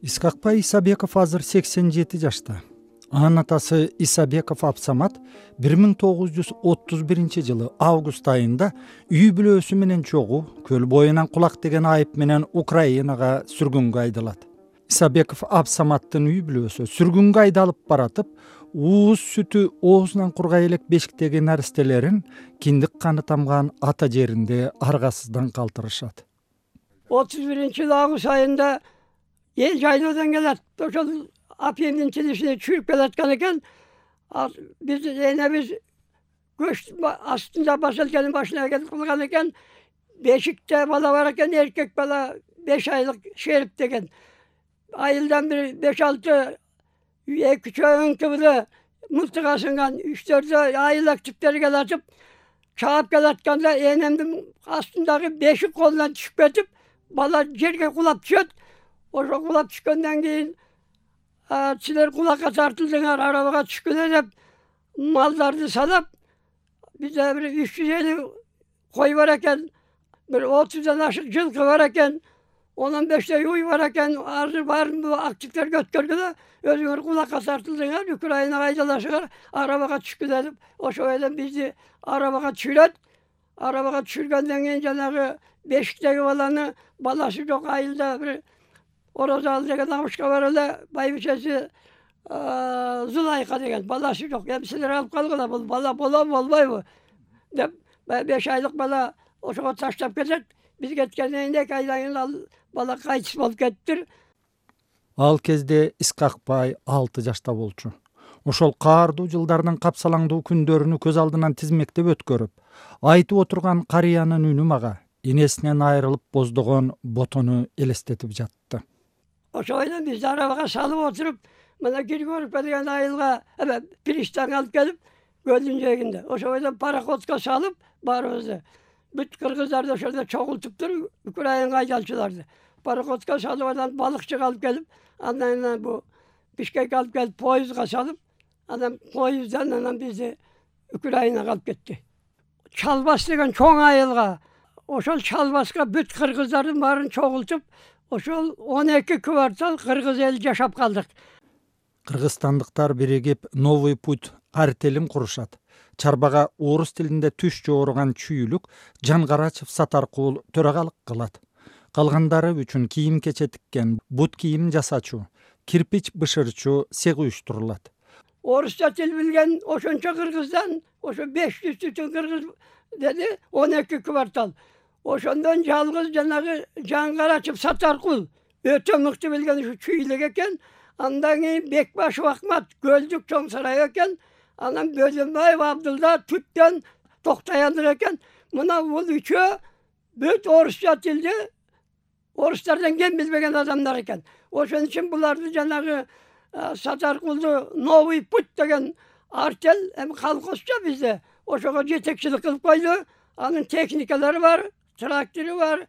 Исхакбай Исабеков азыр 87 жашта. Анын атасы Исабеков Абсамат 1931-жылы август айында үй бүлөсү менен чогуу көл боюнан кулак деген айып менен Украинага сүргүнгө айдалат. Исабеков Абсаматтын үй бүлөсү сүргүнгө айдалып баратып, ууз сүтү оозунан кургай элек бешиктеги наристелерин киндик каны тамган ата жеринде аргасыздан калтырышат. 31 август айында эл жайлоодан келет. Ошол апемдин тилишине чүрүп келаткан экен. Биз көч астында башалканын башына келип калган экен. Бешикте бала бар экен, эркек бала 5 айлык Шерип деген. Айылдан бир 5-6 2 чөңкүлө мылтык асынган 3-4 айылак типтер келатып, чаап келатканда энемдин астындагы бешик колунан түшүп кетип, бала жерге кулап түшөт. Ошо кулап түшкөндөн кийин силер кулакка тартылдыңар, арабага түшкүлө деп малдарды салап, бизде бир 350 кой бар экен, бир 30дан ашык жылкы бар экен, 15 уй бар экен. Азыр баарын бул активдерге өткөргүлө, өзүңөр кулакка тартылдыңар, Украинага айдаласыңар, арабага түшкүлө деп, ошо эле бизди арабага түшүрөт. Арабага түшүргөндөн кийин жанагы бешиктеги баланы баласы жок айылда бир Орозалы деген абышка бар эле, байбичеси Зулайка деген баласы жок. Эми силер алып калгыла, бул бала болобу болбойбу деп 5 айлык бала ошого таштап кетет. Биз кеткенден кийин 2 айдан кийин ал бала кайтыс болуп кетиптир. Ал кезде Исхакбай 6 жашта болчу. Ошол каардуу жылдардын капсалаңдуу күндөрүнү көз алдынан тизмектеп өткөрүп, айтып отурган карыянын үнү мага энесинен айрылып боздогон ботону элестетип жатты. Ошойдон бизди арабага салып отуруп, мына Григорьевка деген айылга пристанга алып келип, көлдүн жээгинде. Ошойдон пароходко салып баарыбызды. Бүт кыргыздарды ошолдо чогултуптур, Украинага айдалчыларды. Пароходко салып, анан балыкчыга алып келип, андан бу Бишкекке алып келип, поездга салып, анан поезддан анан бизди Украинага алып кетти. Чалбас деген чоң айылга, ошол Чалбаска бүт кыргыздардын баарын чогултуп, ошол 12 квартал кыргыз эл жашап калдык. Кыргызстандыктар биригип Новый путь артелин курушат. Чарбага орус тилинде түш жооруган чүйүлүк Жангарачев Сатаркул төрагалык кылат. Калгандары үчүн кийим кече тиккен, бут кийим жасачу, кирпич бышырчу сег уюштурулат. Орусча тил билген ошончо кыргыздан, ошо 500 түтүн кыргыз деди, 12 квартал. Ошондон жалгыз жанагы Жангарачев Сатаркул өтө мыкты билген ушу чүйлүк экен. Андан кийин Бекбашев Акмат Көлдүк чоң сарай экен. Анан Бөлөнбаев Абдылда Түттөн Токтояндык экен. Мына бул үчөө бүт орусча тилди орустардан кем билбеген адамдар экен. Ошон үчүн буларды жанагы Сатаркулду Новый путь деген артел, эми колхозчо бизде, ошого жетекчилик кылып койду. Анын техникалары бар, трактору бар,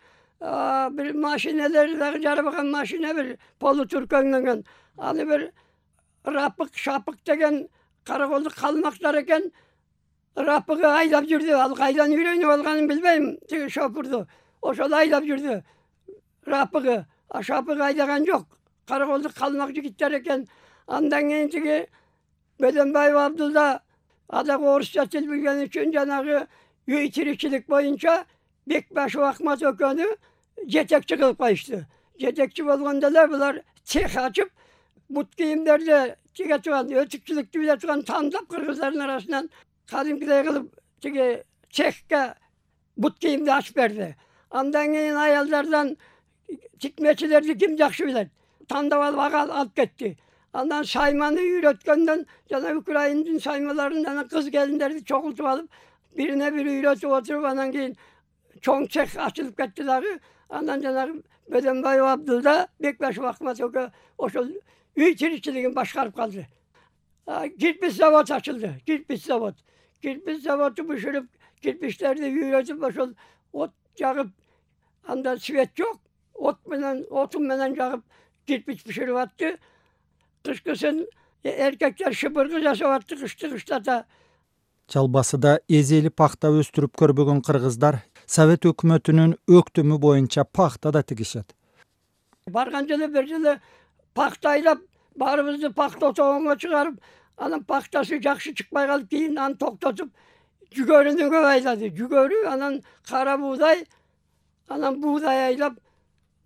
бир машиналары дагы жарабаган машина, бир полутуркөңдөгөн. Аны бир Рапык Шапык деген караколдук калмактар экен. Рапыгы айдап жүрдү. Ал кайдан үйрөнүп алганын билбейм, тиги шопурду. Ошол айдап жүрдү. Рапыгы, Шапыгы айдаган жок. Караколдук калмак жигиттер экен. Андан кийин тиги Бөлөнбаев Абдылда адагы орусча тил билген үчүн жанагы үй тиричилик боюнча Бекбашев Акмат экөөнү жетекчи кылып коюшту. Жетекчи болгондо эле булар цех ачып, бут кийимдерди тиге турган, өтүкчүлүктү биле турган тандап кыргыздардын арасынан кадимкидей кылып тиги цехке бут кийимди ачып берди. Андан кийин аялдардан тикмечилерди ким жакшы билет, тандап алып алып кетти. Андан сайманы үйрөткөндөн жана Украиндин саймаларын анан кыз келиндерди чогултуп алып, бирине бири үйрөтүп отуруп, анан кийин чоң цех ачылып кетти дагы. Андан жанагы Бөлөнбаев Абдылда Бекбашев Акмат экөө ошол үй тиричилигин башкарып калды. Кирпич завод ачылды, кирпич завод. Кирпич заводу бышырып, кирпичтерди үйрөтүп, ошол от жагып, анда свет жок, отун менен жагып кирпич бышырып атты. Кышкысын эркектер шыбыргы жасап атты, кышты кыштата. Чалбасыда эзели пахта өстүрүп көрбөгөн кыргыздар Совет өкмөтүнүн өктүмү боюнча пахта да тигишет. Барган жылы бир жылы paxtaylap barыбызды paxta toğonga чыгарып, анан paxtası жакшы чыкпай калып, кийин аны токтотуп жүгөрүнү көп айлады. Жүгөрү, анан кара буğday, анан буğday айлап,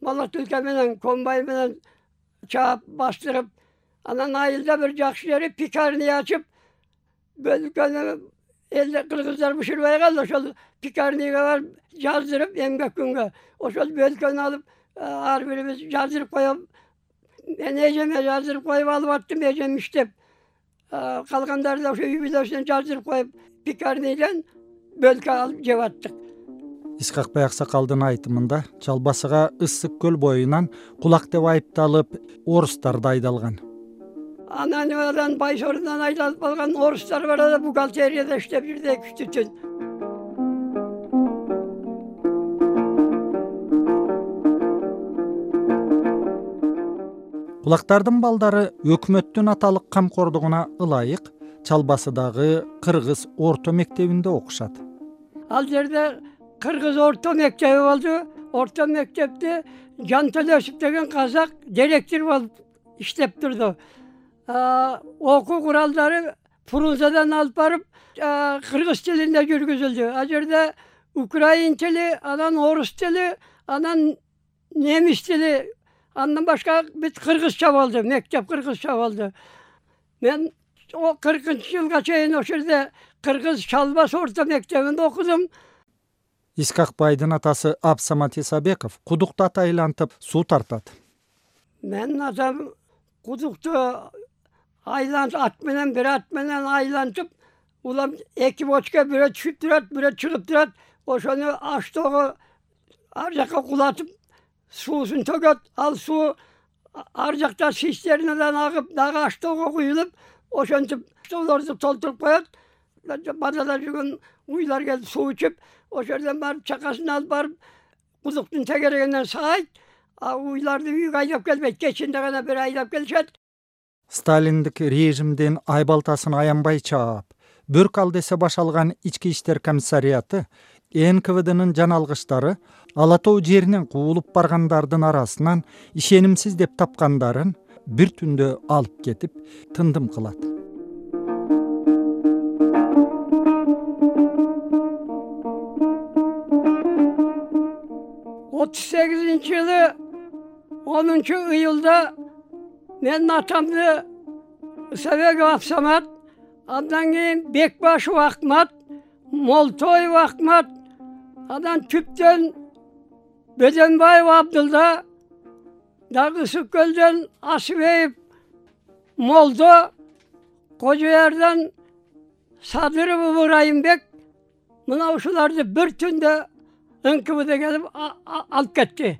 малатылка менен, комбайн менен чаап бастырып, анан айылда бир жакшы жери пекарня ачып, бөлкөнү элде кыргыздар бышырбай калды, ошол пекарняга барып жаздырып эмгек күнгө. Ошол бөлкөнү алып, ар бирибиз жаздырып коюп, мен эжеме жаздырып коюп алып аттым, эжем иштеп. Калгандарды ошо үй бүлөсүнө жаздырып коюп, пекарнядан бөлкө алып жеп аттык. Исхакбай аксакалдын айтымында Чалбасыга Ысык көл боюнан кулак деп айыпталып орустар да айдалган. Анан Байсорундан айдалып калган орустар бар да бухгалтерияда иштеп жүрдү 2-3 түн. Кулактардын балдары өкмөттүн аталык камкордугуна ылайык Чалбасыдагы Кыргыз орто мектебинде окушат. Ал жерде Кыргыз орто мектеби болду. Орто мектепте Жан Төлөсүп деген казак директор болуп иштеп турду. Окуу куралдары Фрунзадан алып барып, кыргыз тилинде жүргүзүлдү. Ал жерде украин тили, анан орус тили, анан немис тили, андан башка бүт кыргызча болду. Мектеп кыргызча болду. Мен 40-жылга чейин ошол жерде Кыргыз Чалбас орто мектебинде окудум. Исхакбайдын атасы Абсамат Исабеков кудукту айлантып суу тартат. Мен атам кудукту ат менен айлантып, улам 2 бочка, бирөө түшүп турат, бирөө чыгып турат. Ошону аштоого ар жакка кулатып, суусун төгөт. Ал суу ар жакта цистернадан агып, дагы аштоого куюлуп, ошентип штолорду толтуруп коет. Бадада жүргөн уйлар келип суу ичип, ошол жерден барып чакасын алып барып, кудуктун тегерегинен саайт, уйларды үйгө айдап келбейт, кечинде гана бир айдап келишет. Сталиндик режимдин айбалтасын аянбай чаап, Бөрк ал десе башалган ички иштер комиссарияты НКВДнын жаналгыштары Ала Тоо жеринен куулуп баргандардын арасынан ишенимсиз деп тапкандарын бир түндө алып кетип тындым кылат. жылы 10-iyulda men atamdı Исабеков Абсамат, андан кийин Бекбашев Ахмат, Молтоев Ахмат, андан Түптөн Бөдөнбаев Абдылда, дагы Ысык көлдөн Асыбеев Молдо, Кожоярдан Садыров Ыбырайымбек, мына ушуларды бир түндө НКВД келип алып кетти.